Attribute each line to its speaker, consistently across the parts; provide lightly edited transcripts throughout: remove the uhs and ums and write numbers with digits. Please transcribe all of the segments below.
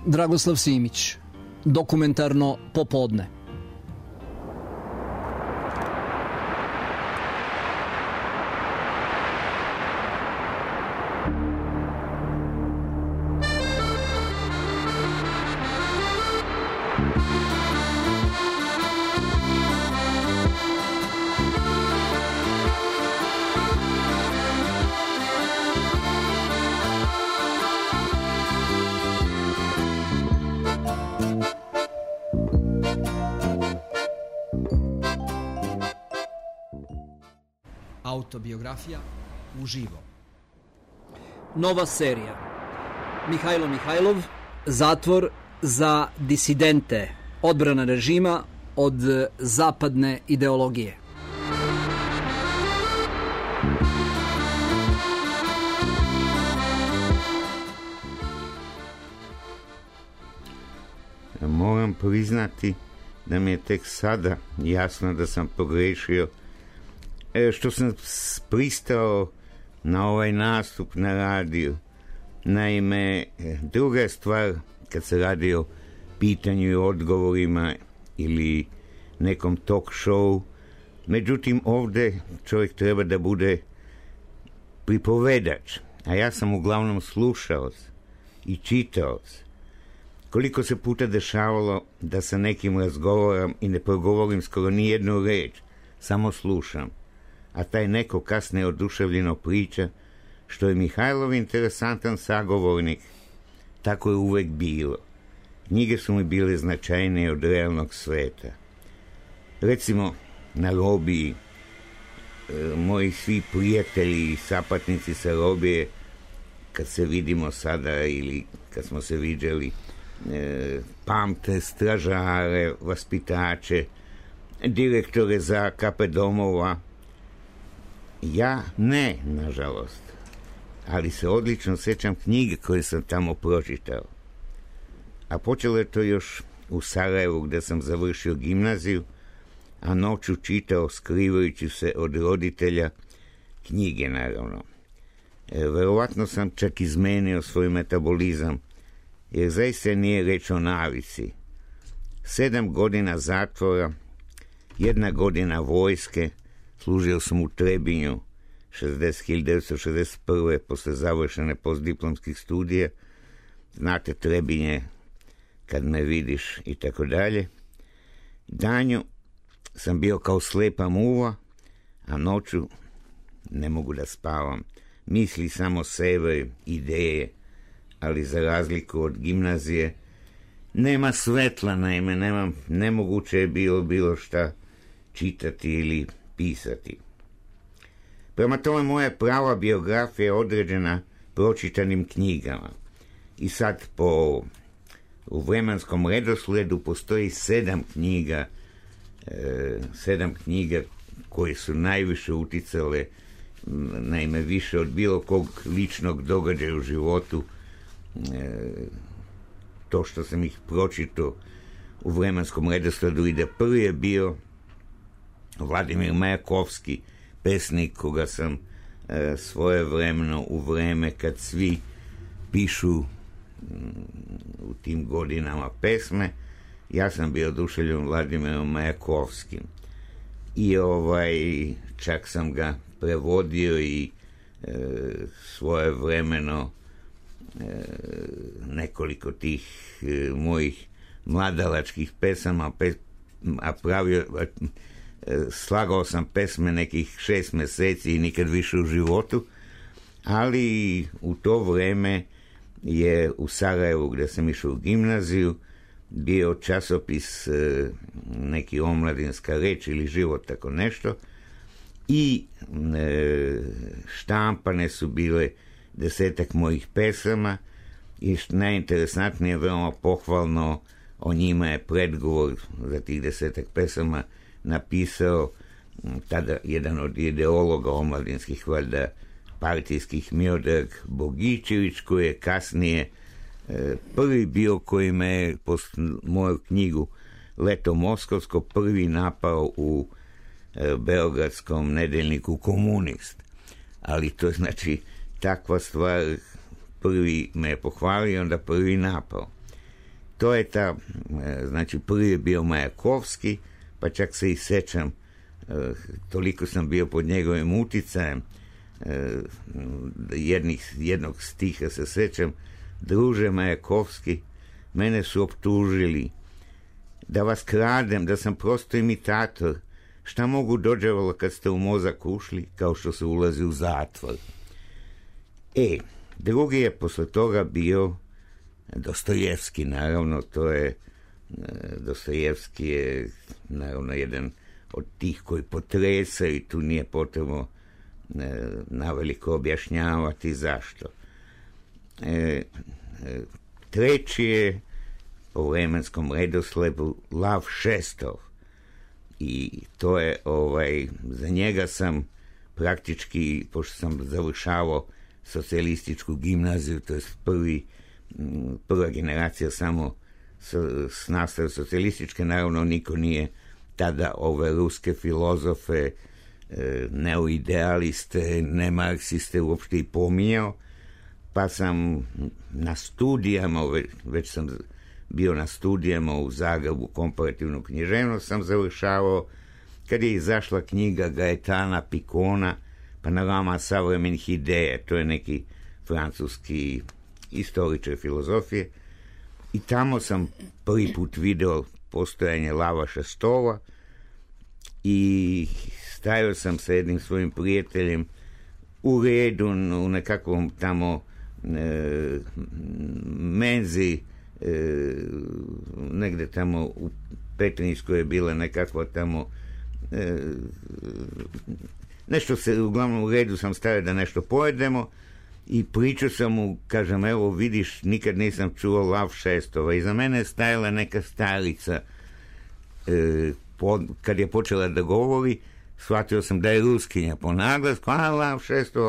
Speaker 1: Dragoslav Simić, dokumentarno popodne. Autobiografija uživo. Nova serija. Mihajlo Mihajlov, Zatvor za disidente, odbrana režima od zapadne ideologije.
Speaker 2: Moram priznati da mi je tek sada jasno da sam pogrešio što sam pristao na ovaj nastup na radiju. Naime, druga je stvar kad se radi o pitanju i odgovorima ili nekom talk show. Međutim, ovdje čovjek treba da bude pripovedač, a ja sam uglavnom slušaoc i čitaoc. Koliko se puta dešavalo da sa nekim razgovaram i ne progovorim skoro ni jednu reč, samo slušam, a taj neko kasnije oduševljeno priča, što je Mihajlov interesantan sagovornik. Tako je uvek bilo. Knjige su mi bile značajnije od realnog sveta. Recimo, na robiji, moji svi prijatelji i sapatnici sa robije, kad se vidimo sada ili kad smo se viđali, pamte stražare, vaspitače, direktore za kape domova. Ja ne, nažalost, ali se odlično sećam knjige koje sam tamo pročitao. A počelo je to još u Sarajevu gde sam završio gimnaziju, a noću čitao skrivajući se od roditelja knjige, naravno. Verovatno sam čak izmenio svoj metabolizam, jer zaista nije reč o navici. 7 godina zatvora, 1 godina vojske, služio sam u Trebinju 1961. posle završene postdiplomskih studija. Znate, Trebinje, kad me vidiš i tako dalje. Danju sam bio kao slepa muva, a noću ne mogu da spavam. Misli samo sebe, ideje, ali za razliku od gimnazije nema svetla, naime, nemoguće je bilo šta čitati ili pisati. Prema tome, moja prava biografija je određena pročitanim knjigama. I sad u vremenskom redosledu postoji 7 knjiga koje su najviše uticale, naime više od bilo kog ličnog događaja u životu. To što sam ih pročitao u vremenskom redosledu ide. Prvi je bio Vladimir Majakovski, pesnik koga sam svojevremeno u vreme kad svi pišu u tim godinama pesme, ja sam bio oduševljen Vladimirom Majakovskim i čak sam ga prevodio i svojevremeno nekoliko tih mojih mladalačkih pesama, a slagao sam pesme nekih 6 meseci i nikad više u životu, ali u to vreme je u Sarajevu, gde sam išao u gimnaziju, bio časopis neki Omladinska reč ili Život, tako nešto, i štampane su bile 10 mojih pesama i najinteresantnije, veoma pohvalno, o njima je predgovor za tih 10 pesama napisao tada jedan od ideologa omladinskih, valjda partijskih, Miodrag Bogićević, koji je kasnije prvi bio koji me je moju knjigu Leto Moskovsko prvi napao u beogradskom nedeljniku Komunist. Ali to je znači takva stvar, prvi me je pohvalio, onda prvi napao. to je ta, znači prvi je bio Majakovski, pa čak se i sećam, toliko sam bio pod njegovim uticajem, jednog stiha se sećam: druže Majakovski, mene su optužili da vas kradem, da sam prosto imitator. Šta mogu dođevalo kad ste u mozak ušli, kao što se ulazi u zatvor. Drugi je posle toga bio Dostojevski, naravno, to je Dostojevski je naravno jedan od tih koji potresaju i tu nije potrebno naveliko objašnjavati zašto. Treći je po vremenskom redosledu Lav Šestov, i to je za njega sam praktički, pošto sam završavao socijalističku gimnaziju, to je prva generacija samo s nastave socijalističke, naravno niko nije tada ove ruske filozofe, neoidealiste, ne marksiste uopšte i pominjao, pa sam na studijama, već sam bio na studijama u Zagrebu, komparativnu književnost sam završavao, kad je izašla knjiga Gaetana Picona Panorama savremenih ideja, to je neki francuski istoričar filozofije, i tamo sam prvi put video postojanje Lava Šestova i stajao sam sa jednim svojim prijateljem u redu u nekakvom tamo menzi, negde tamo u Petrinjskoj je bila nekakva tamo nešto se, uglavnom u redu sam stavio da nešto pojedemo i pričao sam mu, kažem, evo vidiš, nikad nisam čuo Lav Šestova. Iza mene je stajala neka starica, kad je počela da govori, shvatio sam da je ruskinja po naglasku, Lav Šestov,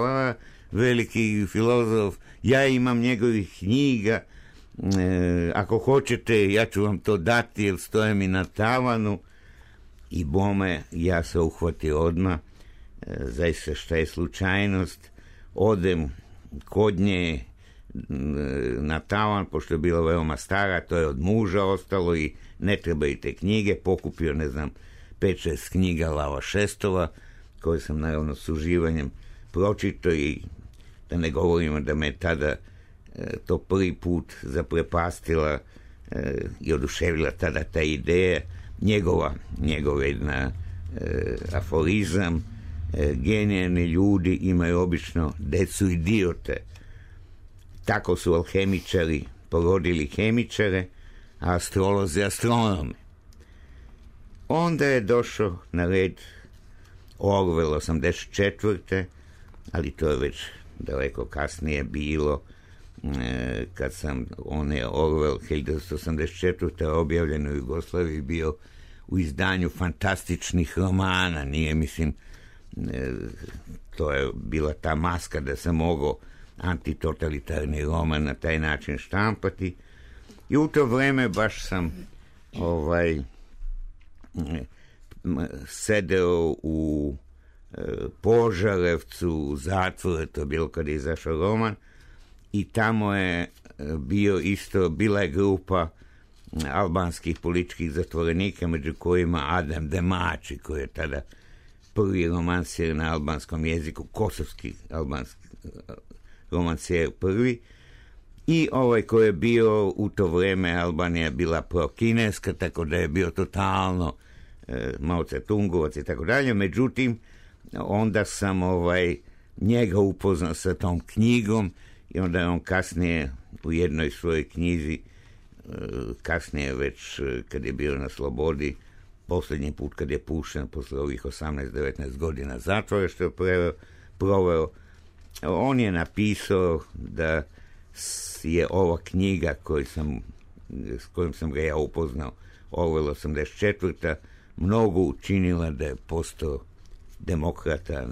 Speaker 2: veliki filozof, ja imam njegovih knjiga, ako hoćete ja ću vam to dati jer stoje mi na tavanu. I bome, ja se uhvatio odmah, zaista šta je slučajnost, odem kod nje na tavan, pošto je bila veoma stara, to je od muža ostalo i ne trebaju te knjige, pokupio, ne znam, 5-6 knjiga Lava Šestova, koje sam naravno s uživanjem pročito, i da ne govorimo da me tada to prvi put zaprepastila i oduševila tada ta ideja, njegova jedna aforizam: genijani ljudi imaju obično decu idiote. Tako su alhemičari porodili hemičare, a astrolozi astronome. Onda je došao na red Orwell 84. ali to je već daleko kasnije bilo, kad on je Orwell 1984. objavljen u Jugoslaviji bio u izdanju fantastičnih romana, nije, mislim, to je bila ta maska da se mogao antitotalitarni roman na taj način štampati, i u to vreme baš sam sedeo u Požarevcu u zatvoru, to je bilo kad je izašao roman, i tamo je bila je grupa albanskih političkih zatvorenika, među kojima Adem Demači, koji je tada prvi romansijer na albanskom jeziku, kosovski albanski romansijer prvi, i koji je bio u to vreme, Albanija bila pro-kineska, tako da je bio totalno Mao Tse-tungovac i tako dalje. Međutim, onda sam njega upoznao sa tom knjigom, i onda je on kasnije u jednoj svojoj knjizi, kasnije već kad je bio na slobodi, posljednji put kad je pušten posle ovih 18-19 godina zatvora što je proveo, on je napisao da je ova knjiga s kojom sam ga ja upoznao, Orwell 84. mnogo učinila da je postao demokrata,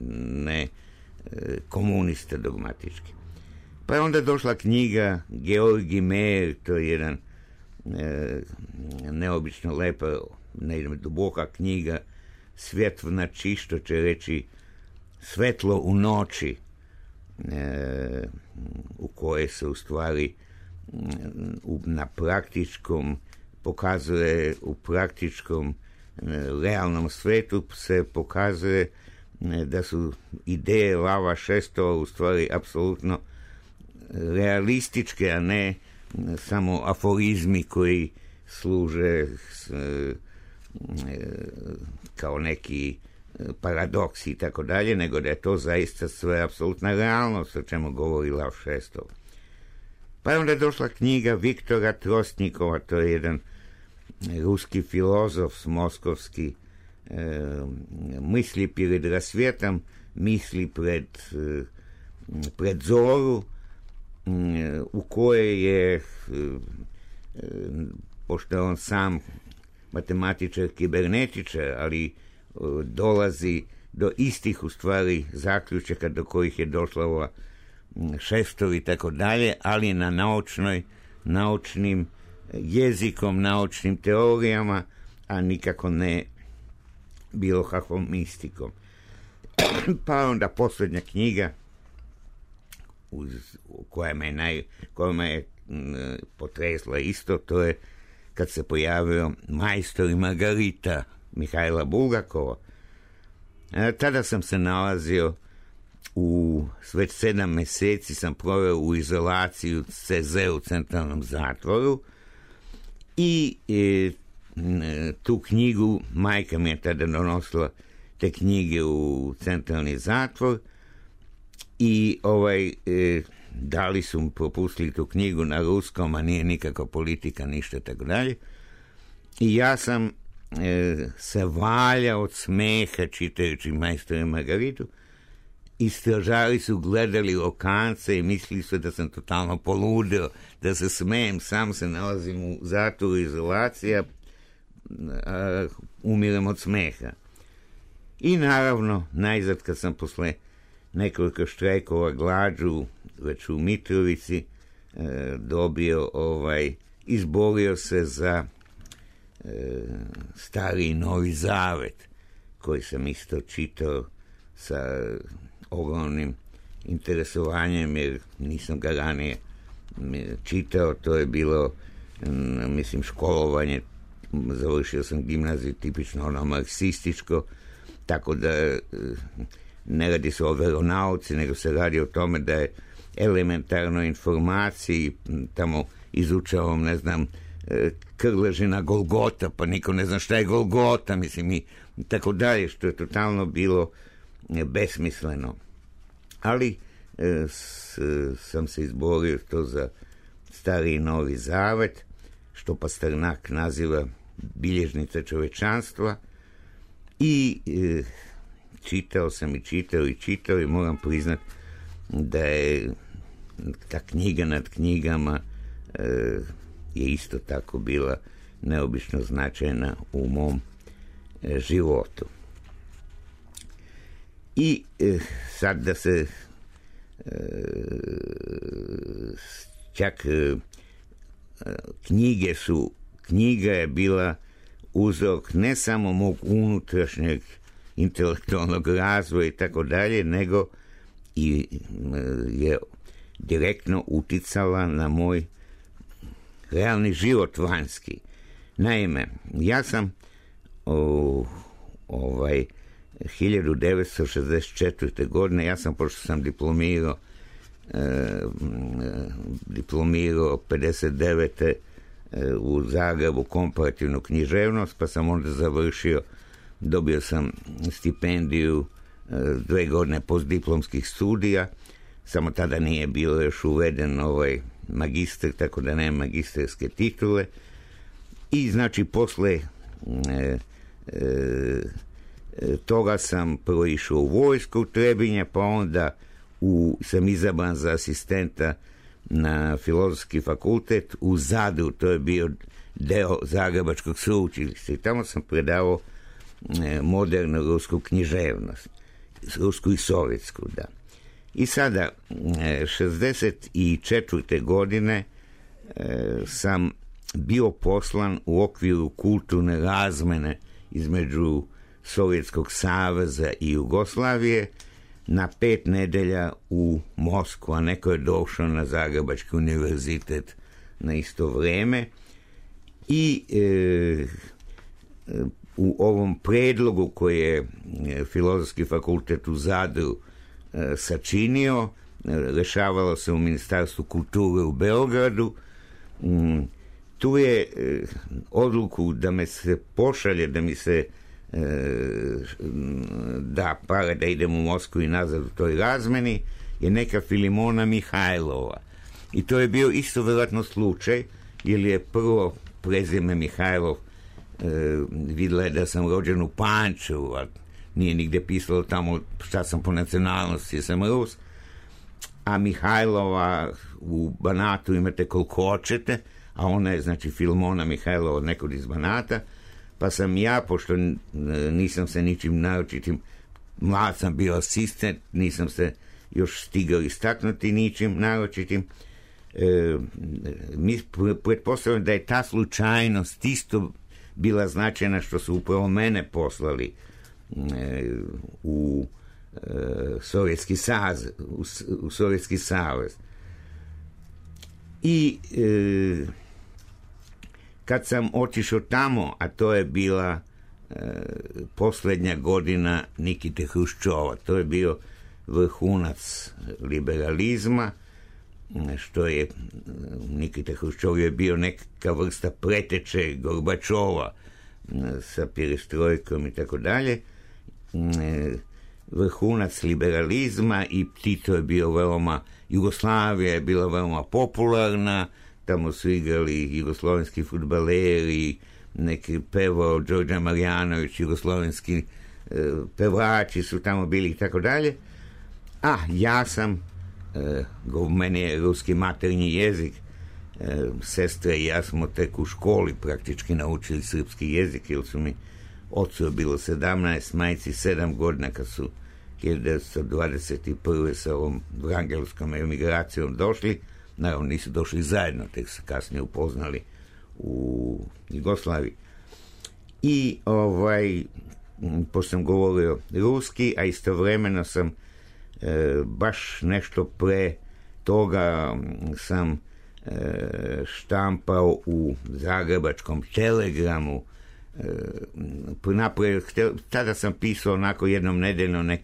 Speaker 2: ne komunista dogmatički. Pa je onda došla knjiga Georgi Meir, to je jedan neobično lepa, duboka knjiga, Svjet v noči, što će reći svetlo u noći, u koje se u stvari na praktičkom, pokazuje u praktičkom realnom svetu se pokazuje da su ideje Lava Šestova u stvari apsolutno realističke, a ne samo aforizmi koji služe kao neki paradoksi i tako dalje, nego da je to zaista sve apsolutna realnost o čemu govori Lav Šestov. Pa je onda došla knjiga Viktora Trostnikova, to je jedan ruski filozof moskovski, misli pred rasvjetom, misli pred zoru, u kojoj je, pošto je on sam matematičar, kibernetičar, ali dolazi do istih u stvari zaključaka do kojih je došla ova Šestov i tako dalje, ali na naučnim jezikom, naučnim teorijama, a nikako ne bilo kakvom mistikom. Pa onda posljednja knjiga koja me je potresla isto, to je kad se pojavio Majstor i Margarita Mihajla Bulgakova. Tada sam se nalazio već 7 mjeseci sam proveo u izolaciju CZ u centralnom zatvoru i tu knjigu, majka mi je tada donosila te knjige u centralni zatvor i dali su mu, propustili tu knjigu na ruskom, a nije nikako politika, ništa tako dalje. I ja sam se valjao od smeha čitajući Majstora i Margaritu i stražari su gledali okance i mislili su da sam totalno poludeo, da se smejem, sam se nalazim u zatvoru izolacija, umirem od smeha. I naravno, najzad kad sam posle nekoliko štrajkova glađu, već u Mitrovici, dobio, izborio se za Stari i Novi Zavet, koji sam isto čitao sa ogromnim interesovanjem, jer nisam ga ranije čitao. To je bilo, mislim, školovanje, završio sam gimnaziju tipično ono marksističko, tako da ne radi se o veronauci, nego se radi o tome da je elementarno informaciji, tamo izučavam, ne znam, Krležina Golgota, pa niko ne zna šta je Golgota, mislim, i tako dalje, što je totalno bilo besmisleno. Ali sam se izborio to za Stari i Novi Zavet, što Pasternak naziva bilježnica čovečanstva, i čitao sam i čitao i moram priznat da je ta knjiga nad knjigama je isto tako bila neobično značajna u mom životu. I sad da se čak knjiga je bila uzrok ne samo mog unutrašnjeg intelektualnog razvoja i tako dalje, nego i je direktno uticala na moj realni život vanjski. Naime, ja sam 1964. godine, ja sam, pošto sam diplomirao 59. u Zagrebu komparativnu književnost, pa sam onda završio, dobio sam stipendiju 2 godine postdiplomskih studija, samo tada nije bilo još uveden magister, tako da nema magistarske titule. I znači posle toga sam prvo išao u vojsku u Trebinje, pa onda sam izabran za asistenta na Filozofski fakultet u Zadru, to je bio deo Zagrebačkog sveučilišta, i tamo sam predavao modernu rusku književnost, rusku i sovjetsku, da. I sada, 64. godine sam bio poslan u okviru kulturne razmene između Sovjetskog saveza i Jugoslavije na 5 nedelja u Moskvu, a neko je došao na Zagrebački univerzitet na isto vreme i u ovom predlogu koji je Filozofski fakultet u Zadru sačinio, rešavalo se u Ministarstvu kulture u Beogradu. Tu je odluku da me se pošalje, da mi se da para da idem u Moskvu i nazad u toj razmeni, je neka Filimona Mihajlova. I to je bio isto vjerojatno slučaj, jer je prvo prezime Mihajlov vidjela je da sam rođen u Pančevu, a nije nigde pisalo tamo šta sam po nacionalnosti, jer sam Rus, a Mihajlova u Banatu imate koliko hoćete, a ona je znači Filimona Mihajlova od nekog iz Banata, pa sam ja, pošto nisam se ničim naročitim, mlad sam bio asistent, nisam se još stigao istaknuti ničim naročitim, mi pretpostavljamo da je ta slučajnost isto bila značajna što su upravo mene poslali u Sovjetski savez. I kad sam otišao tamo, a to je bila posljednja godina Nikite Hruščova, to je bio vrhunac liberalizma, što je Nikita Hruščov je bio neka vrsta preteče Gorbačova sa perestrojkom i tako dalje, vrhunac liberalizma, i Tito je bio veoma, Jugoslavija je bila veoma popularna, tamo su igrali jugoslovenski fudbaleri, neki pevao Đorđe Marjanović, jugoslovenski pevači su tamo bili i tako dalje, a ja sam meni je ruski maternji jezik, sestre i ja smo tek u školi praktički naučili srpski jezik, jer su mi ocu bilo 17, majci 7 godina kad su 1921. sa ovom vrangelskom emigracijom došli. Naravno nisu došli zajedno, tek se kasnije upoznali u Jugoslaviji. I pošto sam govorio ruski, a istovremeno sam baš nešto pre toga sam štampao u Zagrebačkom Telegramu. Tada sam pisao onako jednom nedeljno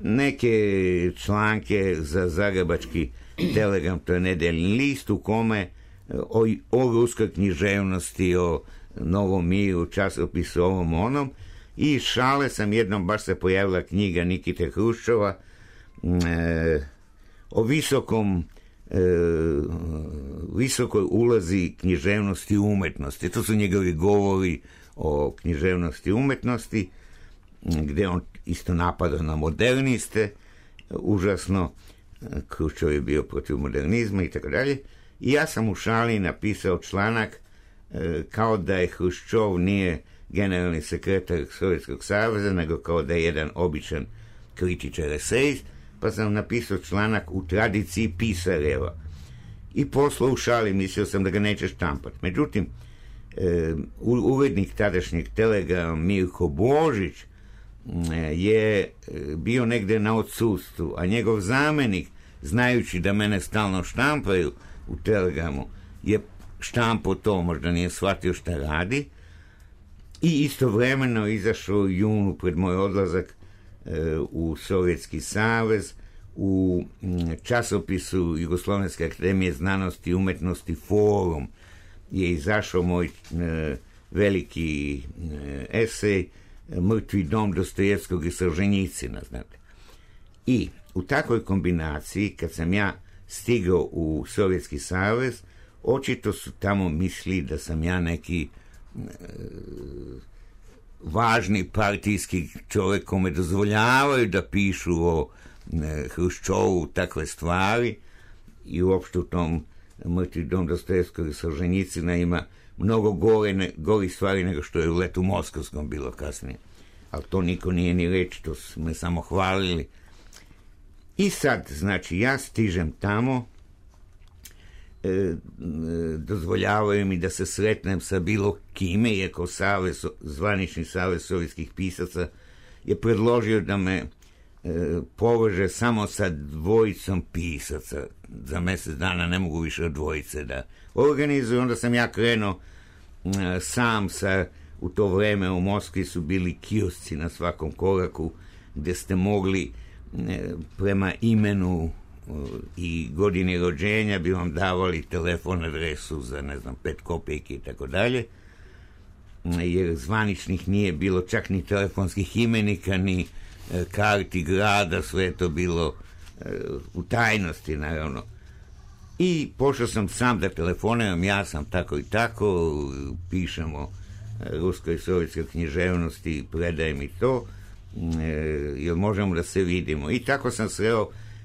Speaker 2: neke članke za Zagrebački Telegram, to je nedeljni list u kome o ruskoj književnosti, o Novom miru, časopisu ovom onom, i šale sam jednom, baš se pojavila knjiga Nikite Hruščova o visokoj ulazi književnosti i umetnosti. To su njegovi govori o književnosti i umetnosti, gdje on isto napada na moderniste, užasno, Hruščov je bio protiv modernizma i tako dalje. I ja sam u šali napisao članak kao da je Hruščov nije generalni sekretar Sovjetskog saveza, nego kao da je jedan običan kritičar esejist, pa sam napisao članak u tradiciji pisareva. I poslao u šali, mislio sam da ga neće štampati. Međutim, urednik tadašnjeg Telegrama Mirko Božić je bio negde na odsustvu, a njegov zamenik, znajući da mene stalno štampaju u Telegramu, je štampao to, možda nije shvatio šta radi, i istovremeno izašao u junu pred moj odlazak u Sovjetski savez u časopisu Jugoslovenske akademije znanosti i umetnosti Forum je izašao moj veliki esej Mrtvi dom Dostojevskog i Solženjicina, znate. I u takvoj kombinaciji, kad sam ja stigao u Sovjetski savez, očito su tamo misli da sam ja neki važni partijski čovjek kome dozvoljavaju da pišu o Hruščovu takve stvari, i uopšte u tom Mrtvi dom Dostojevskog i Solženjicina ima mnogo gori stvari nego što je u Letu Moskovskom bilo kasnije. Ali to niko nije ni reći, to su me samo hvalili. I sad, znači, ja stižem tamo, dozvoljavaju mi da se sretnem sa bilo kime, iako zvanični savez sovjetskih pisaca je predložio da me poveže samo sa dvojicom pisaca. Za mjesec dana ne mogu više od dvojice da organizuju. Onda sam ja krenuo sam u to vreme u Moskvi su bili kiosci na svakom koraku gdje ste mogli prema imenu i godini rođenja bi vam davali telefon adresu za 5 kopejki i tako dalje, jer zvaničnih nije bilo čak ni telefonskih imenika ni karti grada, sve je to bilo u tajnosti naravno. I pošao sam sam da telefoniram, ja sam tako i tako, pišemo ruskoj i sovjetskoj književnosti, predaj mi to, jer možemo da se vidimo. I tako sam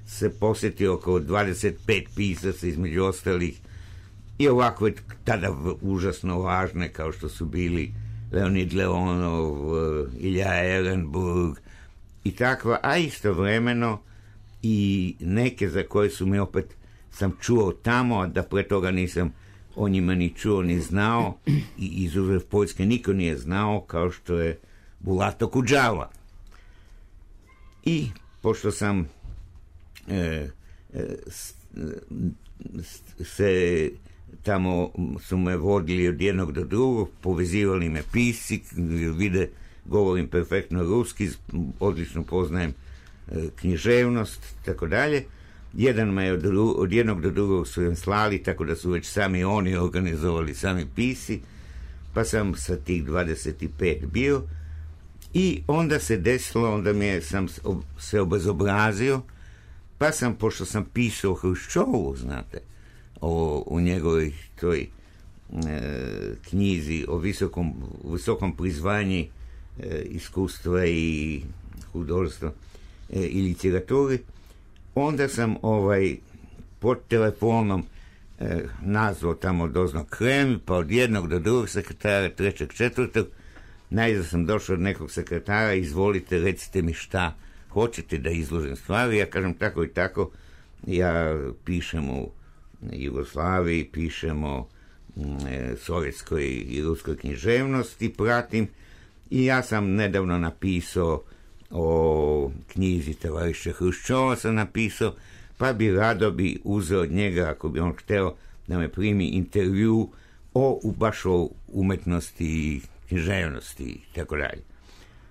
Speaker 2: se posjetio oko 25 pisaca između ostalih i ovako je tada užasno važne kao što su bili Leonid Leonov, Ilja Ehrenburg i takva, a istovremeno i neke za koje su mi opet sam čuo tamo, a da pre toga nisam o njima ni čuo ni znao i izuzev Poljske niko nije znao, kao što je Bulato Kudžava. I pošto sam se tamo su me vodili od jednog do drugog, povezivali me pisci, vide govorim perfektno ruski, odlično poznajem književnost, tako dalje. Jedan me od jednog do drugog su im slali, tako da su već sami oni organizovali, sami pisci, pa sam sa tih 25 bio i onda se desilo, onda sam se obezobrazio, pa sam, pošto sam pisao o Hruščovu, znate, u njegovoj toj knjizi o visokom prizvanji iskustva i hudolstva i literaturi, onda sam pod telefonom nazvao tamo dozno Kreml, pa od jednog do drugog sekretara, trećeg, četvrtog, najzad sam došao od nekog sekretara, izvolite, recite mi šta hoćete da izložim stvari, ja kažem tako i tako, ja pišem u Jugoslaviji, pišem o sovjetskoj i ruskoj književnosti, pratim, i ja sam nedavno napisao o knjizi tovariša Hruščova sam napisao, pa bi rado bi uzeo od njega, ako bi on hteo da me primi intervju baš o umetnosti i književnosti i tako dalje.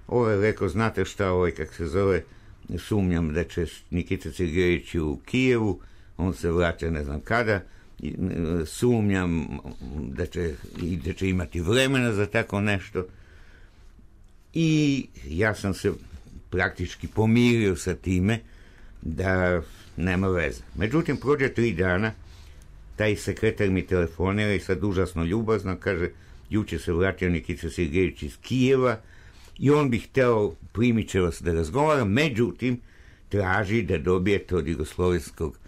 Speaker 2: Ovo je rekao, znate šta, kak se zove, sumnjam da će Nikita Sergejević u Kijevu, on se vraća ne znam kada, sumnjam da će imati vremena za tako nešto. I ja sam se praktički pomirio sa time da nema veze. Međutim, prođe 3 dana, taj sekretar mi telefonira i sad užasno ljubazno kaže, juče se vratio Nikita Sergejević iz Kijeva i on bi hteo, primit će vas da razgovara, međutim, traži da dobijete od jugoslovenskog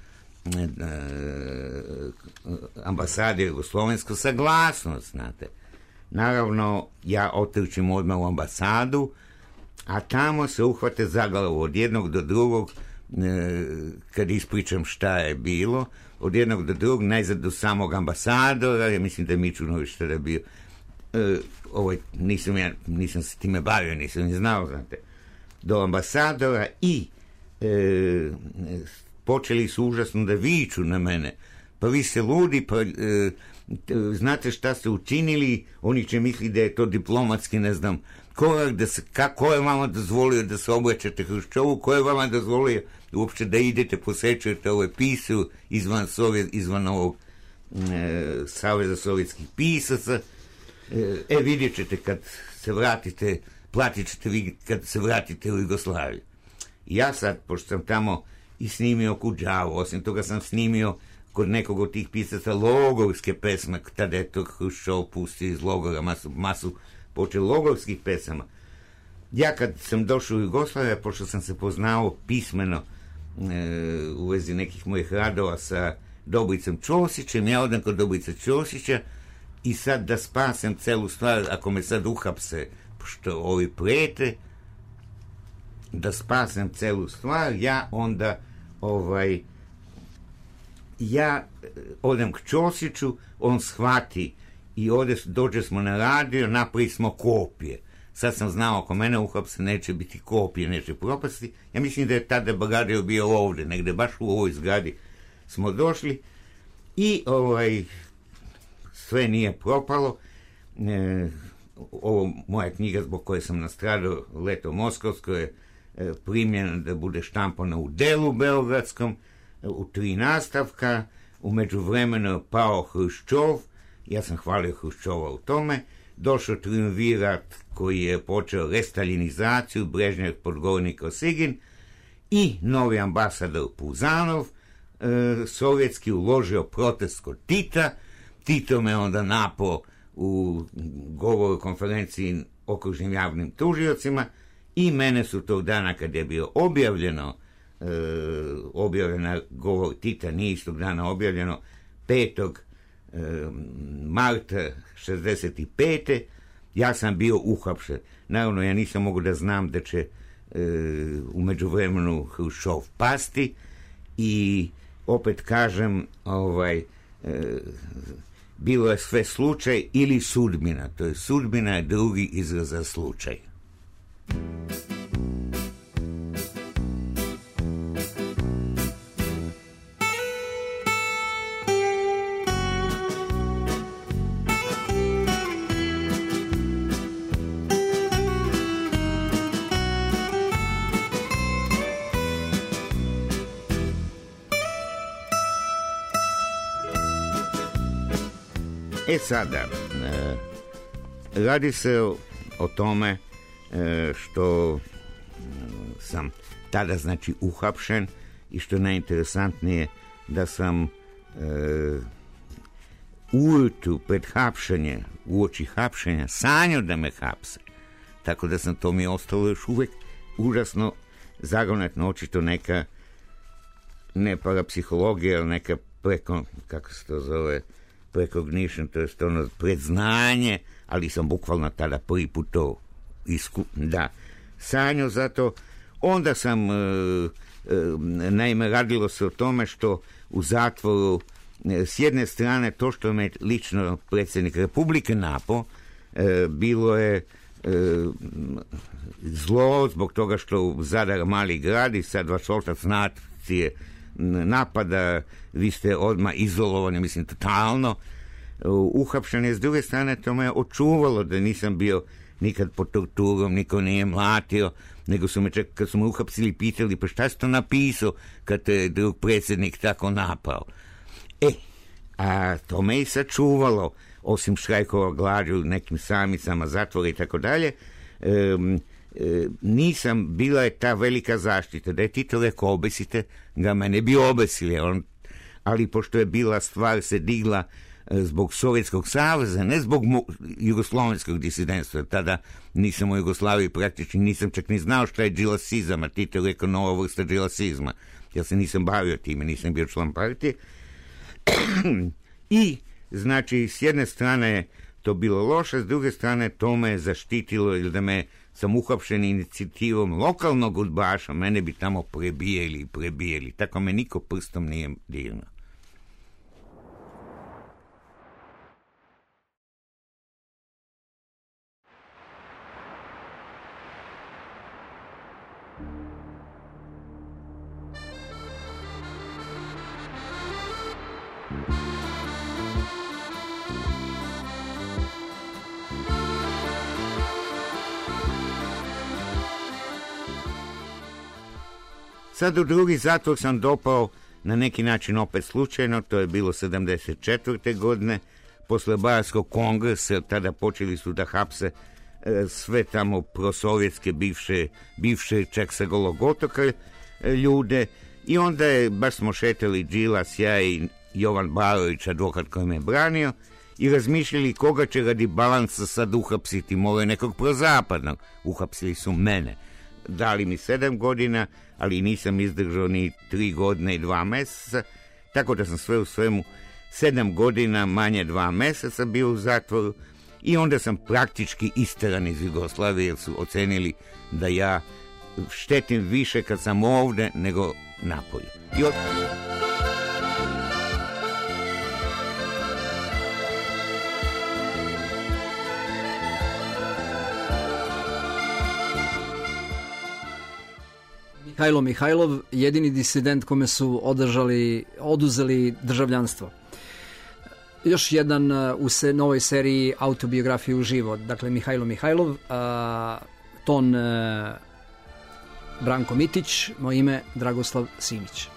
Speaker 2: ambasade jugoslovensko saglasnost, znate. Naravno, ja otrčim odmah u ambasadu, a tamo se uhvate za glavu od jednog do drugog, kad ispričam šta je bilo, od jednog do drugog, najzad do samog ambasadora, ja mislim da je Mičunović tada bio, nisam se time bavio, nisam ni znao, znate, do ambasadora i počeli su užasno da viču na mene, pa vi ste ludi, pa znate šta ste učinili, oni će misliti da je to diplomatski, ne znam, ko je vama dozvolio da se obraćate Hruščovu, ko je vama dozvolio uopće da idete, posjećujete ove pisu izvan ovog Saveza sovjetskih pisaca, vidjet ćete kad se vratite, platit ćete vi kad se vratite u Jugoslaviju. Ja sad, pošto sam tamo i snimio Kudžavu, osim toga sam snimio kod nekog od tih pisaca logorske pesme, tada je to Hruščov pustio iz logora, masu počeo logorskih pesama. Ja kad sam došao u Jugoslaviju, pošto sam se poznao pismeno u vezi nekih mojih radova sa Dobricom Ćosićem, ja odem kod Dobrica Ćosića i sad da spasem celu stvar, ako me sad uhapse, pošto ovi prete, da spasem celu stvar, ja onda ja odem k Ćosiću, on shvati i dođe smo na radio, napravi smo kopije. Sad sam znao, ako mene uhapse, neće biti kopije, neće propasti. Ja mislim da je tada Bagadio bio ovde, negde baš u ovoj zgradi smo došli i sve nije propalo. Ovo moja knjiga zbog koje sam nastradao, Leto Moskovsko, je primljena da bude štampana u Delu beogradskom, u 3 nastavka. U međuvremenu je pao Hruščov, ja sam hvalio Hruščova u tome, došao triumvirat koji je počeo restaljinizaciju, Brežnjev, Podgornik, Osigin, i novi ambasador Puzanov, sovjetski, uložio protest kod Tita. Tito me onda napao u govoru konferenciji okružnim javnim tužiocima i mene su tog dana, kad je bio objavljena govor Tita, nije istog dana objavljeno, 5. marta 65. ja sam bio uhapšen. Naravno, ja nisam mogu da znam da će u međuvremenu Hruščov pasti i opet kažem, bilo je sve slučaj ili sudbina. To je sudbina, je drugi izraz za slučaj. Sada, radi se o tome što sam tada, znači, uhapšen i što je najinteresantnije da sam ujutru pred hapšenje, uoči hapšenja, sanjao da me hapse. Tako da sam, to mi je ostalo još uvek užasno zagonetno, očito neka, ne parapsihologija, ali neka preko, kako se to zove, precognition, to je ono predznanje, ali sam bukvalno tada prvi put to sanjao, zato onda sam, naime, radilo se o tome što u zatvoru, s jedne strane, to što me lično predsjednik Republike napao, bilo je zlo zbog toga što Zadar mali grad i sad vaš otac nacije napada, vi ste odmah izolovani, mislim, totalno uhapšen je. S druge strane, to me očuvalo da nisam bio nikad pod torturom, niko nije mlatio, nego su me čak, kad su me uhapsili, pitali, pa šta si to napisao kad te drug predsjednik tako napao? A to me i sačuvalo, osim štrajkova glađu, nekim samicama, zatvora i tako dalje. Nisam, bila je ta velika zaštita, da je Tito rekao obesite ga, mene bi obesili, ali pošto je bila stvar se digla zbog Sovjetskog saveza, ne zbog jugoslovenskog disidentstva, tada nisam u Jugoslaviji praktični, nisam čak ni znao šta je džilasizam, a Tito je rekao nova vrsta džilasizma, ja se nisam bavio time, nisam bio član partije. I znači, s jedne strane je to bilo loše, s druge strane to me je zaštitilo, ili da me sam uhapšen inicijativom lokalnog udbaša, mene bi tamo prebijeli, tako me niko prstom nije dirnuo. Sad u drugi zatvor sam dopao na neki način opet slučajno, to je bilo 74. godine, posle Bajarskog kongresa, tada počeli su da hapse sve tamo prosovjetske, bivše čak sa Golog otoka ljude, i onda je, baš smo šetali Đilas, ja i Jovan Barović, advokat koji me branio, i razmišljali koga će radi balansa sad uhapsiti, moraju nekog prozapadnog. Uhapsili su mene. Dali mi 7 godina, ali nisam izdržao ni 3 godine i 2 meseca, tako da sam sve u svemu 7 godina manje 2 meseca bio u zatvoru, i onda sam praktički isteran iz Jugoslavije, jer su ocenili da ja štetim više kad sam ovde nego napolju.
Speaker 1: Mihajlo Mihajlov, jedini disident kome su oduzeli državljanstvo. Još jedan u novoj seriji autobiografije uživo. Dakle, Mihajlo Mihajlov, ton Branko Mitić, moje ime Dragoslav Simić.